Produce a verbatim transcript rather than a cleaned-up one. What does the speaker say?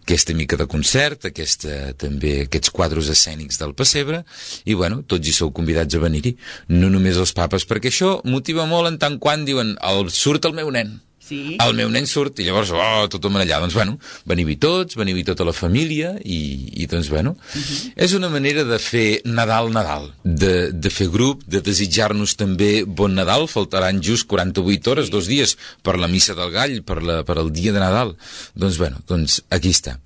aquesta mica de concert, aquesta, també aquests quadres escènics del pessebre, i bueno, tots hi sou convidats a venir-hi, no només els papes, perquè això motiva molt en tant quan diuen el, surt el meu nen. Sí. El meu nen surt i llavors, oh, tothom allà. Doncs, bueno, veniu-hi tots, veniu-hi tota la família i, i doncs, bueno, uh-huh. és una manera de fer Nadal, Nadal, de, de fer grup, de desitjar-nos també bon Nadal. Faltaran just quaranta-vuit hores, dos dies, per la missa del gall, per, la, per el dia de Nadal. Doncs, bueno, doncs aquí està.